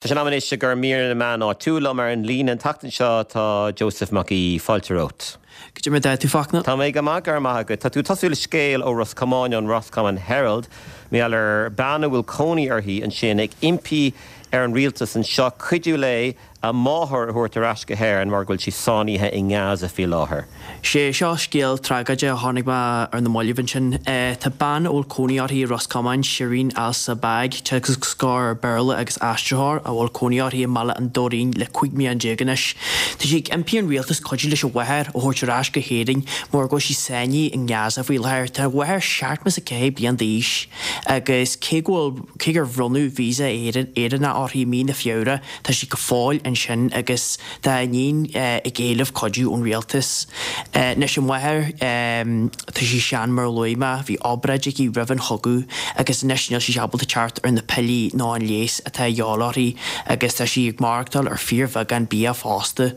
Tá sé in am anois i gcomhair mír na meán áitiúil. Liom ar an líne an tseachtain seo tá Joseph Mac Aoidh. Fáilte romhat. Goidé mar atá tú, Fachtna? Tá mé go maith, go raibh maith agat. Tá tú ag tosú le scéal ó Ros Comáin, ón Roscommon Herald, mar gheall ar bean a bhfuil cónaí uirthi ansin ag impí ar an rialtas anseo cuidiú léi a máthair a thabhairt ar ais go hÉirinn mar go bhfuil sí sáinnithe i nGaza faoi láthair. Sé seo scéal tragóideach a chonaic mé ar na mallaibh ansin. Tá bean a bhfuil cónaí uirthi i Ros Comáin, Shireen Al Sabbagh, teagascóir Béarla agus aistritheoir, a bhfuil cónaí uirthi i mBaile an Doirín le 15 mbliana anois. Tá sí ag impí ar an rialtas cuidiú leis a mháthair a thabhairt ar ais go hÉirinn mar go bhfuil sí sáinnithe i nGaza faoi láthair. Tá a mháthair 74 bliain d'aois agus cé go bhfuil cé gur bhronnadh visa Éireannach uirthi i mí na Feabhra, Tá sí go fóill ansin agus tá a iníon ag éileamh cuidiú ón rialtas. Anois an mháthair, tá sí sean mar a luaigh mé, bhí obráid aici roimh an chogadh agus anois níl sí ábalta teacht ar na piollaí ná an leigheas atá a dhíobháil uirthi agus tá sí ag maireachtáil ar fíorbheagán bia fosta.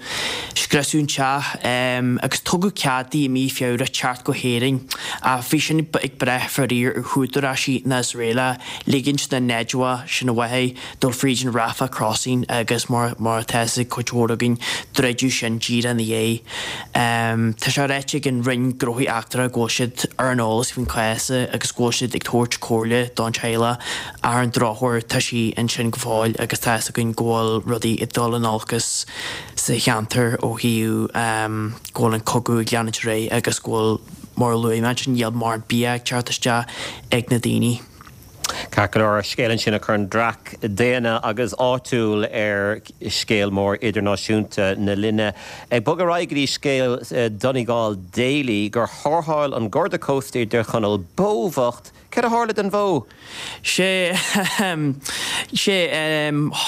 Scriosadh an teach agus tugadh cead di i mí Feabhra teacht go hÉirinn ach bhí sin ag brath faraor ar húdaráisí na hIosraela ligint na Najwa, sin a mháthair, dul fríd an Rafah Crossing agus mar mar atá fhios ag cuid mhór againn, druideadh sin díreach ina dhiaidh. Tá sé ráite ag an Roinn Gnóthaí Eachtracha go bhfuil siad ar an eolas faoin chás agus go bhfuil siad ag tabhairt comhairle don teaghlach ach ar an drochuair tá sí ansin go fóill agus tá fhios againn go bhfuil rudaí ag dul in olcas sa cheantar ó thaobh go bhfuil an cogadh ag leanúint ar aghaidh agus go bhfuil mar a luaigh mé ansin níl mórán bia ag teacht isteach ag na daoine. Ceart go leor, scéal ansin a chuireann dreach daonna agus áitiúil ar scéal mór idirnáisiúnta na linne. Ag bogadh ar aghaidh go dtí scéal Donegal Daily gur tharrtháil an Garda Cósta i dTír Chonaill bó bhocht. Céard a tharla don bhó? Sé, sé,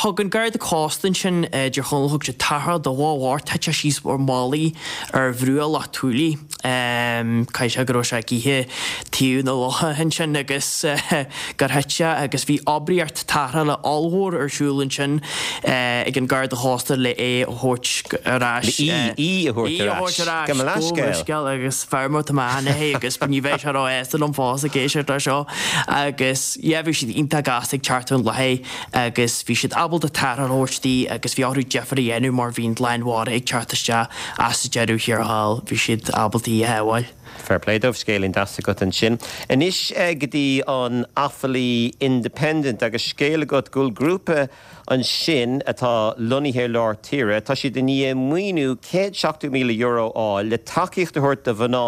thug an Garda Cósta ansin i dTír Chonaill, thug siad tarrtháil do bhó bhocht, thit sé síos ar mhallaí ar bhruach Loch Tualaí. Caithfidh sé go raibh sé ag ithe taobh na locha ansin agus gur thit sé agus bhí oibríocht tarrthála ollmhór ar siúl ansin ag an Garda Chósta le é a thabhairt ar ais. Le í, í a thabhairt ar ais. Gabh mo leithscéal. Agus feirmeoir atá mé cheana agus ní bheidh sé róshásta liom fós ag éisteacht leis seo agus yeah bhí siad iontach gasta ag teacht ar an láthair agus bhí siad ábalta tarrtháil a thabhairt di agus bhí orthu difear a dhéanamh mar bhí an lán mhara ag teacht isteach ach sa deireadh thiar thall bhí siad ábalta í a shábháil. Fair play dóibh, scéilín deas agat ansin. Anois go dtí an Offaly Independent agus scéal agat go bhfuil grúpa ansin atá lonnaithe i lár tíre, tá siad i ndiaidh maoiniú €170,000 a fháil le tacaíocht a thabhairt do mhná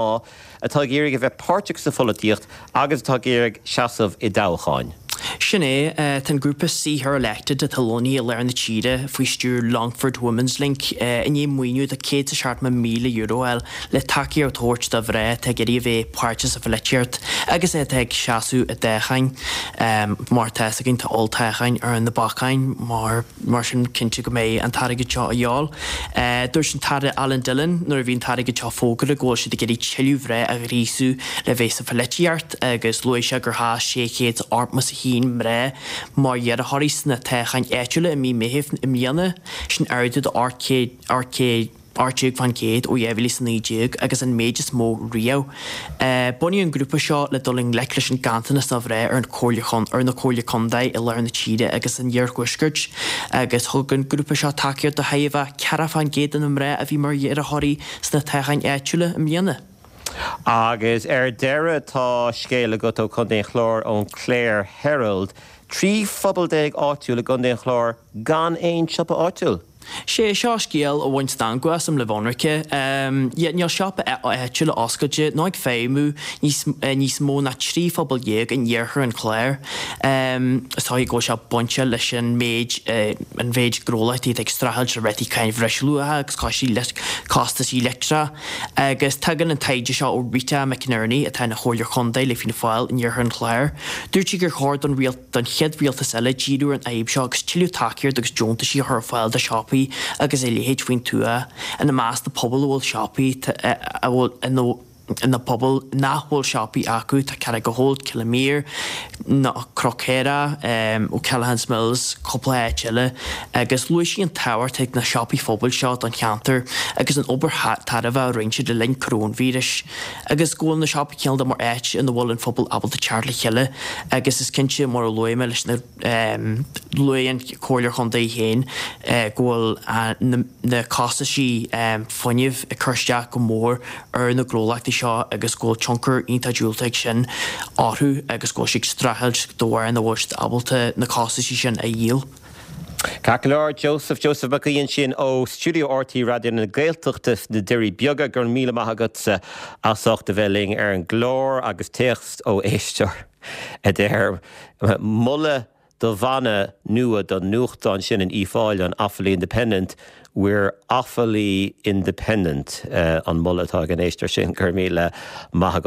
atá ag iarraidh a bheith páirteach sa pholaitíocht agus atá ag iarraidh seasamh i dtoghcháin. Sin é. Tá an grúpa See Her Elected atá lonnaithe i lár na tíre faoi stiúir Longford Women's Link i ndiaidh maoiniú de €170,000 a fháil le tacaíocht a thabhairt do mhná atá ag iarraidh a bheith páirteach sa pholaitíocht agus atá ag seasamh i dtoghcháin. Mar atá fhios againn tá olltoghcháin ar na bacáin mar Mar sin, cinnte go mbeidh an t-airgead seo a dhíobháil. Dúirt an tAire Alan Dillon nuair a bhí an t-airgead seo fógartha go bhfuil siad ag iarraidh tuilleadh mná a ghríosú le bheith sa pholaitíocht agus luaigh sé gur sheas 681 mná mar iarrthóirí sna toghcháin áitiúla i mí Meithimh i mbliana, sin ardú de 800. 18% ó 2019 agus an méid is mó riamh. Bunaíodh an grúpa seo le dul i ngleic leis an ganntanas de mhná ar an chomhairle ar na comhairlí contae i lár na tíre agus san iarthuaisceart agus thug an grúpa seo tacaíocht do thoghadh 40% de na mná a bhí mar iarrthóirí sna toghcháin áitiúla i mbliana. Agus ar deireadh tá scéal agat ó Chontae an Chláir ón Clare Herald. 13 phobal áitiúil i gContae an Chláir gan aon siopa áitiúil. Sé seo scéal a bhain stangadh asam le bheith ionraic. Yeah, níl siopa áitiúil oscailte nó ag feidhmiú níos níos mó ná 13 phobal in iarthar an Chláir. Is dóigh go bhfuil sé bainte leis an méid an mhéid gnólachtaí atá ag streachailt le rátaí cáin bhreisluacha agus costaí costaisí leictreachais. Agus tagann an taighde seo ó Rita McInerney atá ina Chomhairleoir Chontae le Fianna Fáil in iarthar an Chláir. Dúirt sí gur chóir don don chéad rialtas eile díriú ar an fhadhb seo agus tuilleadh tacaíocht agus deontaisí a chur ar fáil do shiopaí agus a leithéid faoin tuath, ina measc na pobail a bhfuil siopaí a bhfuil ina. Na pobail nach bhfuil siopaí acu, tá Carrigaholt, Killimere, Cnoc Céarach, O'Callaghan's Mills, cúpla áit eile, agus luaigh sí an tábhacht ag na siopaí phobail seo don cheantar agus an obair tairbhe a rinne siad le linn coróinvíris agus go bhfuil na siopaí cineál de mar áit ina bhfuil an phobal ábalta teacht le chéile agus is cinnte mar a luaigh mé leis na Luaigh an Comhairleoir Chontae féin go bhfuil na costaisí fuinnimh ag cur isteach go mór ar na gnólachtaí seo agus go bhfuil tionchar iontach diúltach ag sin orthu agus go bhfuil siad ag streachailt de bharr nach bhfuil siad ábalta na costaisí sin a dhíol. Ceart go leor, Joseph, Joseph Mac Aoidh ansin ó Stiúideo RTÉ Raidió na Gaeltachta sna Doirí Beaga. Go raibh míle maith agatsa as ucht a bheith linn ar an gclár agus téacs ó éisteoir. a deir, Moladh do mhana nua don nuachtán sin in Uíbh Fhailí, an Offaly Independent, We're Offaly Independent, an moladh atá ag an éisteoir sin. Go raibh míle maith agat.